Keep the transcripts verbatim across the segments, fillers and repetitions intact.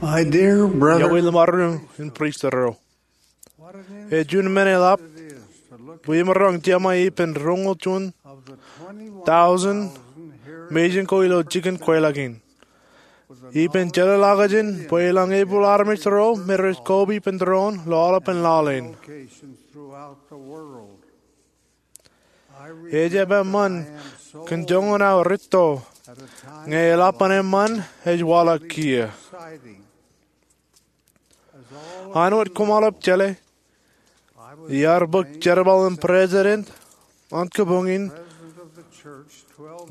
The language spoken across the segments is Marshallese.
My dear brother, Iọkwe ḷōṃaro in priesthood ro. Ej juon men eḷap bwe imaroñ jiṃa ippān roñoul juon thousand mejān ko ilo jikin kweilọk in. Ippān jeḷāḷọkjeṇ bwe elōñ epūḷ armej ro me rej koba ippān doon ilo aolepān laḷ in. Ejjab eṃṃan kōn joñan aō rūtto ñe eḷapḷọk eṃṃan ej waḷọk kiiō. An wōt koṃ aolep jeḷā, iar bōk jerbal in president an kōbuñ in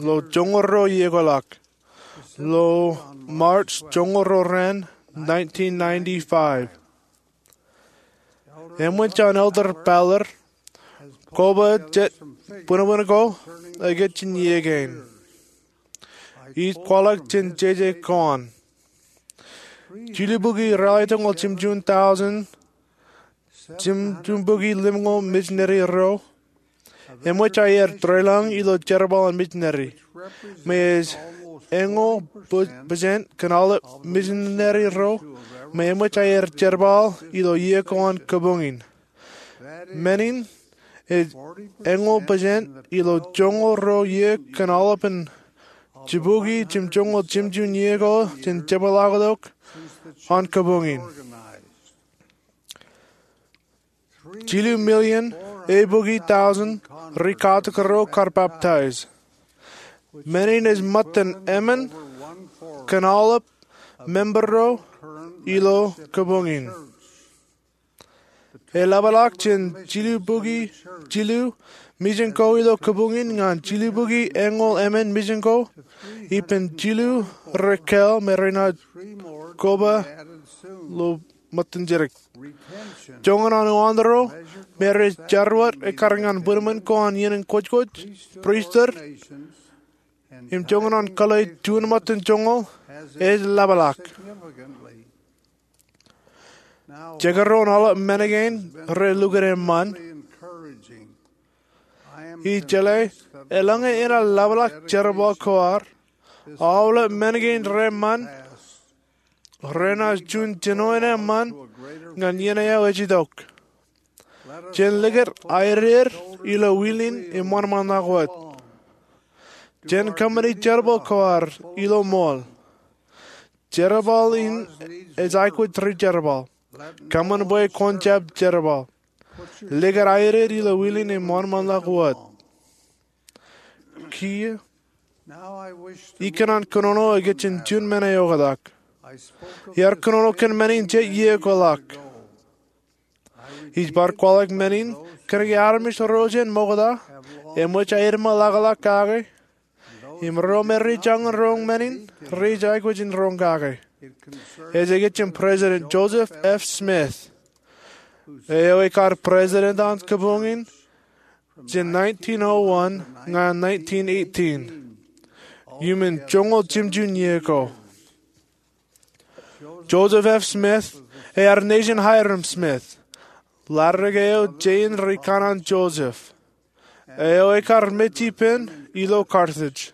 ilo joñoul ruo iiō ko ḷọk, ilo March joñoul ruo raan nineteen ninety-five. Eṃōj an Elder Ballard koba jet bwinbwin ko ej kajjitōk iiō kein. Ij kwaḷọk jān jeje ko an. Jilubukwi ralitōñoul jimjuon thousand, jimjuonbukwi limñoul misineri ro eṃōj aer deḷọñ ilo jerbal an misineri, me ej eñoul pō-, pōsent kōn aolep misineri ro me eṃōj aer jerbal ilo iiō ko an kōbuñ in. Men in ej eñoul pōsent ilo joñoul ruo iiō kōn aolepān jibukwi jimjuonñoul jimjuon iiō ko jān jepḷaaktok an kōbuñ in. Jilu million eibukwi thousand ri katak ro kar baptize. Men in ej ṃōttan emān kōn aolep member ro ilo kōbuñ in. Eḷapḷọk jān jilubukwi jilu misin ko ilo kōbuñ in ñan jilubukwi eñoul emān misin ko, ippān jilu rej kāāl me renaaj koba ilo ṃōttan jidik. Joñan an uwaak ro me rej jar wōt ekkar ñan bwinbwin ko an iien in kwōjkwōj, priesthood, im joñan an kōḷḷe juon ṃōttan joñoul ej ḷapḷọk. Jekdọọn aolep men kein rej lukkuun eṃṃan. Ij jeḷā eḷaññe enaaj ḷapḷọk jerbal ko ad, aolep men kein rej eṃṃan renaaj juon jinoin eṃṃan ñan iien eo ej itok. Jen likūt aeded ilo wilin im wōnṃaanḷọk wōt. Jen kōṃṃani jerbal ko ad ilo ṃool. Jerbal in ej aikuj rijerbal. Kōṃṃan bwe kwōn jab jerbal. Likūt aeded ilo wilin im wōnṃaanḷọk wōt. Kiiō, ikōṇaan kōnono ikijjeen juon men eo oktak. Iar kōnono kōn men in jet iiō ko ḷọk. Ij bar kwaḷọk men in kōnke armej ro jān ṃokta eṃōj aer ṃōḷaḷḷọk kake, im ro me rej jañin roñ men in rej aikuj in roñ kake. Ej ikijjeen President Joseph F. Smith, eo ekar president an kōbuñ in jān nineteen oh one ñan nineteen eighteen, iuṃwin joñoul jimjuon iiō ko. Joseph F. Smith ear nejin Hyrum Smith, ḷaddik eo jein ri kanaan Joseph, eo ekar mej ippān ilo Carthage.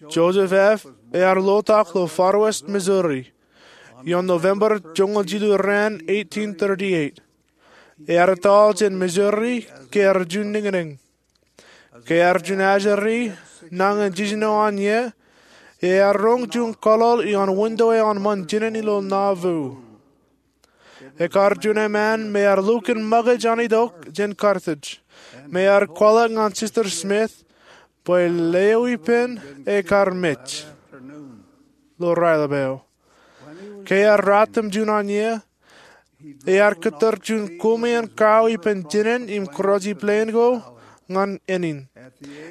Joseph F. ear lotak ilo Far West, Missouri, ioon November joñoul jilu raan eighteen thirty-eight. Ear ettoḷ jān Missouri ke ear juon niñniñ. Ke ear juon ajri nañin jiljino an iiō, ear roñ juon kōḷoḷ ioon winto eo an ṃōn jinen ilo Nauvoo. Ekar juon eṃṃan me ear lukkuun ṃōkaj an itok jān Carthage, me ear kwaḷọk ñan Sister Smith bwe leo ippān ekar mej ilo raelep eo. Ke ear ratimjuon an iiō, ear kōttar juon koṃeañ kau ippān jinen im kūrooj plane ko ñan ānin.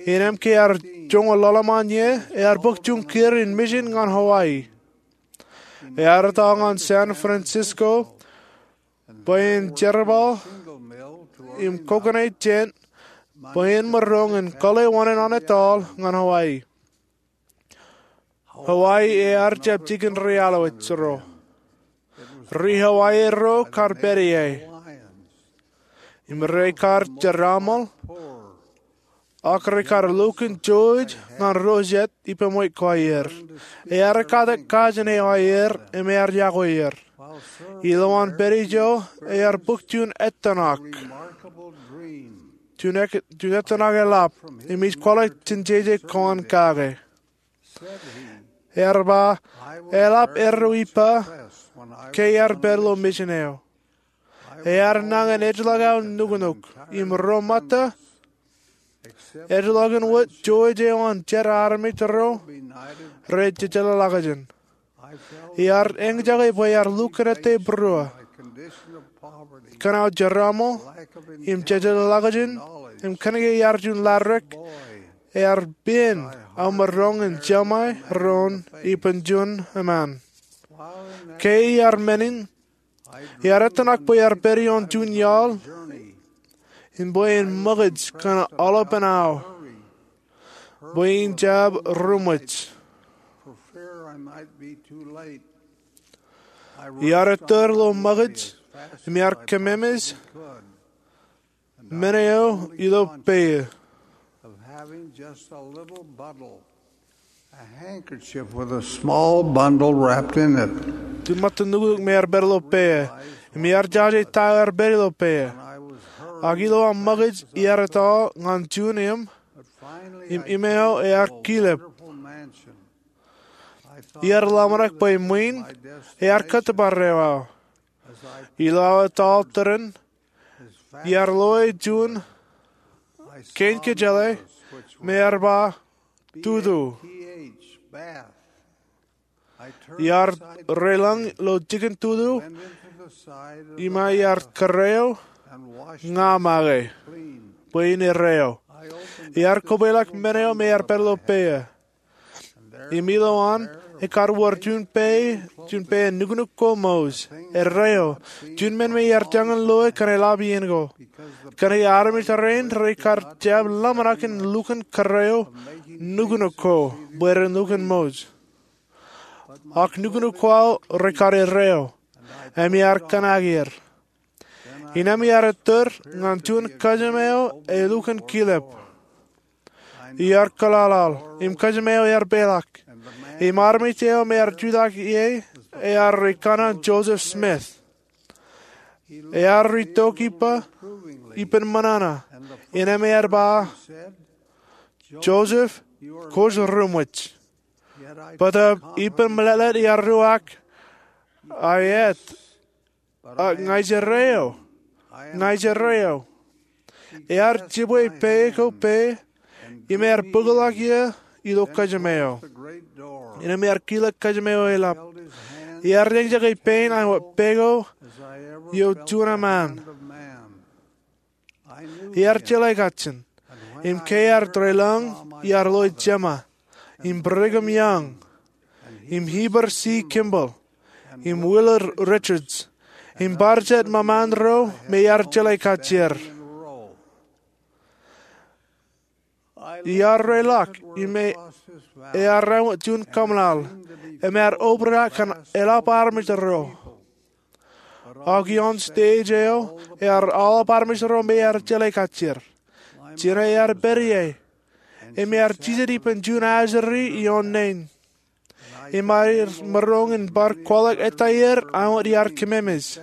Innām ke ear joñoul ḷalem an iiō, ear bōk juon kūr in mission ñan Hawaii. Ear ettoḷ ñan San Francisco bwe en jerbal im kokoṇe jān bwe en maroñ in kōḷḷe wōṇāān an ettoḷ ñan Hawaii. Hawaii ear jab jikin ri-aolep ro. Ri-Hawaii ro kar pād ie. Im rekar jeraaṃṃan Ak rekar lukkuun jouj ñan ro jet ippān ṃweiuk ko aer. Ear ekkatak kajin eo aer im ear yokwe er. Ilowaan pād ijo ear bōk juon ettōṇak, juon ettōṇak eḷap, im ij kwaḷọk jān jeje ko an kake. Ear ba, eḷap erro ippa ke iar pād ilo mejān eo. Ear nañin ejjeḷọk aō nuknuk im ro ṃōtta, ejjeḷọk in wōt jouj eo an jet armej ro rej jejeḷāḷọkjeṇ. Iar eñjake bwe iar lukkuun ettā būruō, kōn aō jeraaṃo im jejeḷāḷọkjeṇ, im kōnke iar juon laḷ ri-kōṃṃan, ear pād aō maroñ in jeṃae doon ippān juon eṃṃan. Ke iar men in, iar ettōṇak bwe iar pād ioon juon iaḷ im bwe en ṃōkaj kōn aolepān aō bwe in jab ruṃwij. Iar ettōr ilo ṃōkaj im iar kōmemeḷeḷe men eo ilo peie. Juon ṃōttan nuknuk me ear pād ilo peie, im iar jaje ta eo ear pād ilo peie. Ak ilo aō ṃōkaj iar etto ñan juon im, im im eo ear kilep. Iar ḷōmṇak bwe ṃwiin ear kōttōpar eo aō. Ilo aō etal tōre in, iar loe juon kein kōjeḷā me ear ba tutu. Iar reilañ ilo jikin tutu im iar kōrā eo ña make bwe in errā eo. Iar kobweilọk men eo me ear pād ilo peie. Im ilowaan ekar wōr juon peie, juon peie nuknuk ko mouj, errā eo, juon men me iar jañin loe kōn eḷap iien ko. Kōnke armej rein rekar jab ḷōmṇak in lukkuun kōrā eo nuknuk ko bwe ren lukkuun mouj. Ak nuknuk ko aō rekar errā eo, im iar kōṇaan er. Innām iar ettōr ñan juon kōjām eo elukkuun kilep. Iar kōḷaḷaḷ, im kōjām eo ear peḷḷọk. Im armej eo me ear jutak ie ear ri kanaan Joseph Smith. Ear ri tok ippa ippān ṃōṇōṇō, innām ear ba, Joseph, kwōj ruṃwij. Bōtab ippān meḷeḷe iar ruo ak, aet, ak ña ij errā eo. Ña ij errā eo. Ear jibwe peie ko peie, im ear bōkḷọk ie ilo kōjām eo. Innām ear kilōk kōjām eo eḷap. Ear eñjake pein an wōt pein ko eo juon eṃṃan. Ear jeḷā kajjien. Im ke ear reilañ, ear loe jeṃa, im Brigham Young, im Heber C. Kimball, im Willard Richards, im bar jet ṃōṃaan ro me ear jeḷā kajjier. Ear reilaḷọk im ear ewōr juon kōṃṃan, im ear obrak kōn eḷap armej ro. Ak ioon stage eo, ear aolep armej ro me ear jeḷā kajjier. Jino ear pād ie, im ear jijet ippān juon ajri ioon naan. Im ear maroñ in bar kwaḷọk ettā er āinwōt iar kememej,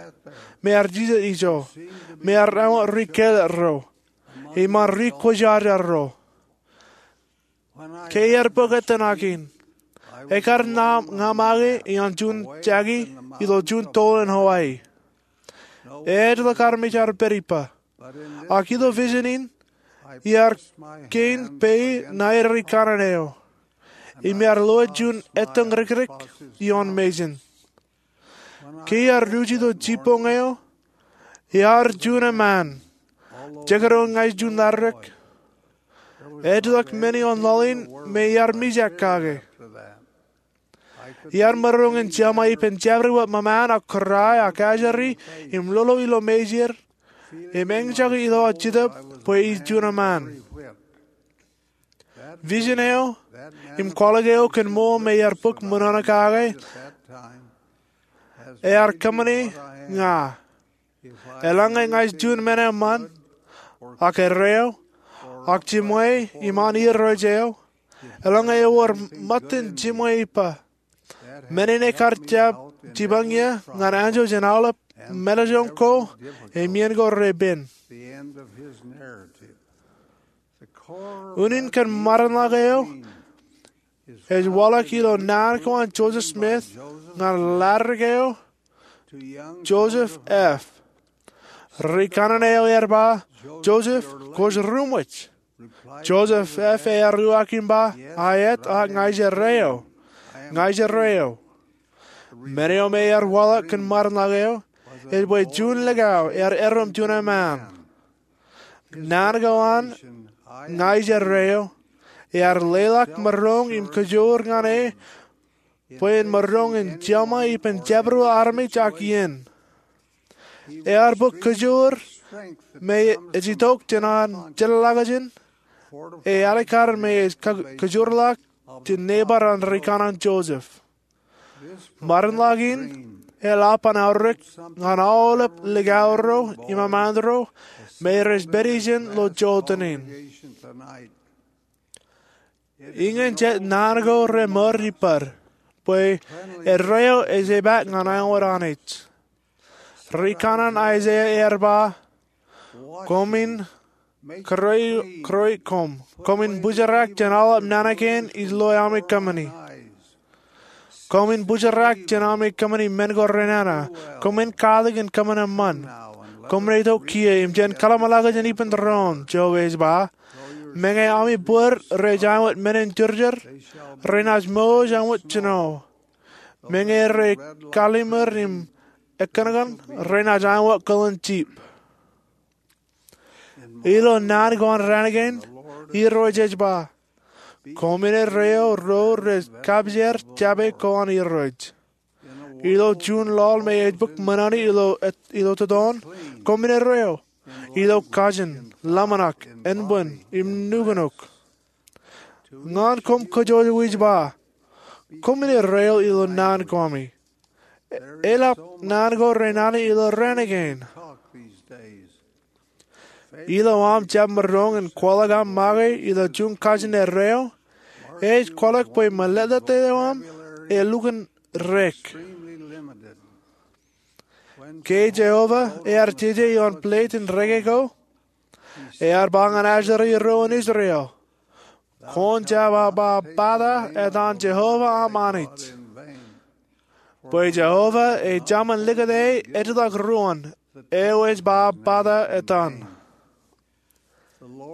me ear jijet ijo, me ear āinwōt ri kāālōt ro, im an ri kwōjarjar ro. Ke ear bōk ettōṇak in, ekar ña make ioon juon jaki ilo juon toḷ in Hawaii. Ejjeḷọk armej ear pād ippa. Ak ilo vision in, iar kein peie ṇae ri kanaan eo, im iar loe juon etōñ rikrik ioon mejān. Ke iar ruj ilo jibboñ eo, ear juon eṃṃan. Jekdọọn ña ij juon laḷ ri-kōṃṃan, ejjeḷọk men ioon laḷ in me iar mijak kake. Iar maroñ in jeṃae ippān jabdewōt ṃōṃaan ak kōrā ak ajri im lolo ilo mejān, im eñjake ilo aō jetōb bwe ij juon eṃṃan. Vision eo im kwaḷọk eo kōn ṃool me iar bōk ṃōṇōṇō kake ear kōṃṃane ña. Eḷaññe ña ij juon men eṃṃan, ak errā eo, Ak jimwe iṃaan irooj eo, eḷaññe ewōr ṃōttan jimwe ippa, men in ekar jab jipañ ie ñan anjọ jān aolep meḷọkjeṇ ko im iien ko repen. Unin kōn ṃarenḷọk eo ej waḷọk ilo naan ko an Joseph Smith ñan ḷadik eo Joseph F. Ri kanaan eo ear ba, Joseph, kwōj ruṃwij. Joseph F. ear uwaak im ba, aet, ak ña ij erreo. Ña ij erreo. Men eo me ear waḷọk kōn ṃarenḷọk eo ej bwe juon likao ear erom juon eṃṃaan. Naan ko an ña ij erreo ear leḷọk maroñ im kajoor ñan e bwe en maroñ in jeṃa ippān jabdewōt armej ak iien. Ear bōk kajoor me ej itok jān an jeḷāḷọkjeṇ, e alikkar me ej kajoorḷọk jān neighbor an ri kanaan Joseph. Ṃarenḷọk in eḷap an aorōk ñan aolep likao ro im eṃṃaan ro me rej pād ijin ilo jota in. Iñin jet naan ko remour ippād, bwe erreo ej jab ñan āinwōt Anij. Ri kanaan Aiseia ear ba, koṃwin kūrōi, kūrōi koṃ. Koṃwin bōjrak jān aolep nana kein ij loe ami kōṃṃani. Koṃwin bōjrak jān ami kōṃṃani men ko renana. Koṃwin katak in kōṃṃan eṃṃan. Koṃwin itok kiiō im jen kōḷmānḷọkjeṇ ippān doon, Jeova ej ba. Meñe ami bōd rej āinwōt men in jorjor, renaaj mour āinwōt jino. Meñe rej kallimur im ekōṇakōṇ, renaaj āinwōt kōḷan jip. Ilo naan ko an raan kein, Irooj ej ba, koṃwin erreo ro rej kapijer jape ko an Irooj. Ilo juon laḷ me ej bōk ṃōṇōṇō ilo, ilo totoon, koṃwin erreo ilo kajin, ḷōmṇak, enbwin, im nuknuk. Ñan koṃ kōjwōj ij ba, koṃwin erreo ilo naan ko ami. Eḷap naan ko renana ilo raan kein. Ilo aṃ jab maroñ in kwaḷọk aṃ make ilo juon kajin erreo, ej kwaḷọk bwe mālōtlōt eo aṃ elukkuun rek. Ke Jeova ear jeje ioon plate in reke ko, ear ba ñan Asher ro an Israel, kwōn jab ba bata etan Jeova aṃ Anij. Bwe Jeova ej Jemān likūt e ejjeḷọk ruōn, eo ej ba bata etan.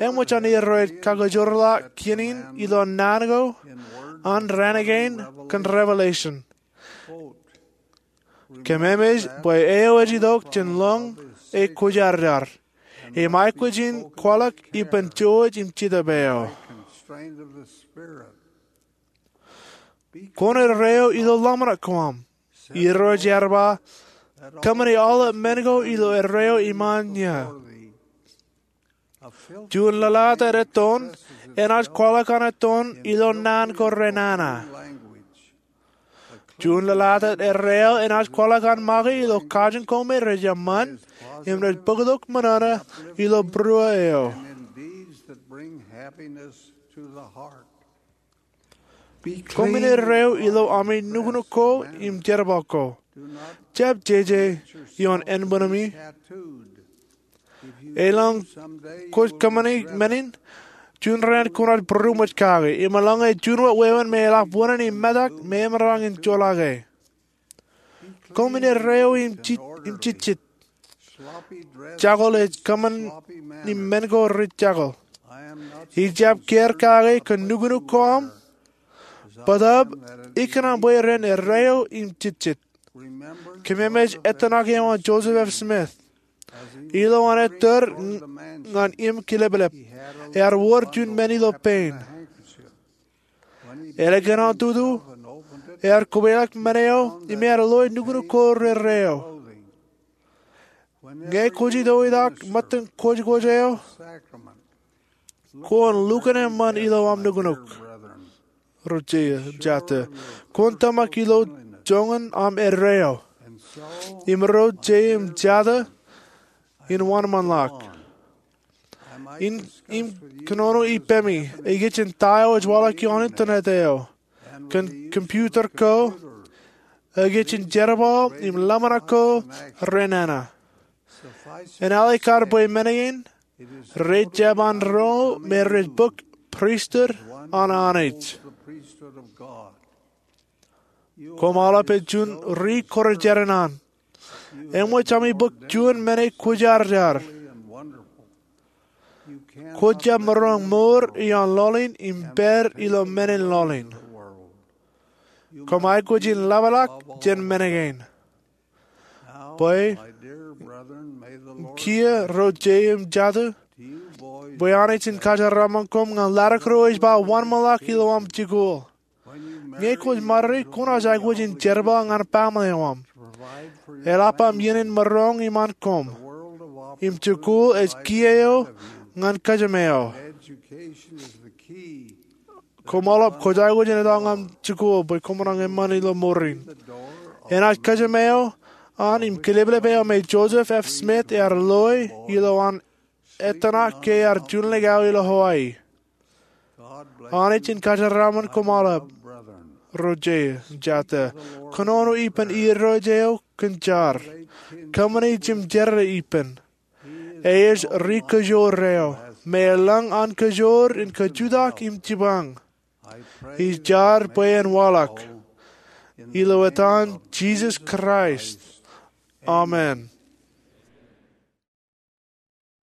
Eṃōj an Irooj kakajoorḷọk kien in ilo naan ko an raan kein kōn Revelation. Kōmemej bwe eo ej itok jān lōñ e kwōjarjar, im aikuj in kwaḷọk ippān jouj im jetōb eo. Kwōn erreo ilo ḷōmṇak ko aṃ. Irooj ear ba, kōṃṃani aolep men ko ilo erreo iṃaan ie. Juon lōḷḷātōt ettoon enaaj kwaḷọk an ettoon ilo naan ko renana. Juon lōḷḷātōt erreo enaaj kwaḷọk an make ilo kajin ko me rej eṃṃan im rej bōktok ṃōṇōṇō ilo būruō eo. Koṃwin erreo ilo ami nuknuk ko im jerbal ko. Jab jeje ioon enbwinemi. Elōñ kwōj kōṃṃani men in, juon raan kwōnaaj būroṃōj kake, im eḷaññe juon wōt wāween me eḷap wōṇāān im metak, memaroñ in joḷọke. Koṃwin erreo im jejjet. Jakōḷ ej kōṃṃani men ko rej jakōḷ. Ij jab kiiō kake kōn nuknuk ko aṃ, bōtaab ikōṇaan bwe ren erreo im jejjet. Kōmemej ettōṇak eo an Joseph F. Smith. Ilo an ettōr ñan im kileplep, ear wōr juon men ilo pein. Eḷap kōn an tutu, ear kobwelọk men eo im ear loe nuknuk ko rerreo. Ñe kwōj itok itak ṃōttan kwōjkwōj eo, kwōn lukkuun eṃṃan ilo aṃ nuknuk. Ro jeiū im jatū, kwōn tōmak ilo joñan aṃ erreo. Im ro jeiū im jatū, in wōnṃaanḷọk. Im kōnono ippemi, ej kajjitōk ta eo ej waḷọk ioon internet eo, kōn computer ko, ej kajjitōk jerbal im ḷōmṇak ko renana. Enaaj kar bwe men kein rej jab an ro me rej bōk pristut an Anij. Koṃ aolep ej juon ri-kwōjarjar an. Eṃōj ami bōk juon men eo kwōjarjar. Kwōj jab maroñ mour ioon lọlin im pād ilo men in lọlin. Koṃ aikuj in ḷapḷọk jān men kein. Bwe kiiō ro jeiū im jatū, bwe Anij en kōjeraṃṃan koṃ ñan ḷadik ro ej ba wōnṃaanḷọk ilo aṃ jikuuḷ. Ñe kwōj ṃare, kwōnaaj aikuj in jerbal ñan baaṃle eo aṃ, eḷap aṃ iien in maroñ iṃaan koṃ. Im jikuuḷ ej kiiō eo ñan kōjām eo. Koṃ aolep kwōj aikuj in etto ñan jikuuḷ bwe koṃ maroñ eṃṃan ilo mour in. Enaaj kōjām eo an im kileplep eo me Joseph F. Smith ear loe ilo an ettōṇak ke ear juon ḷọk aō ilo Hawaii. Anij en kōjeraṃṃan koṃ aolep, ro jeiū, jatū. Kōnono ippān irooj eo kōn jar. Kōṃṃane jimjerā ippān. Ej ri-kōjoor eo me elōñ an kōjoor in kajutak im jipañ. Ij jar bwe en waḷọk. Ilo etan Jisōs Kraist, amen.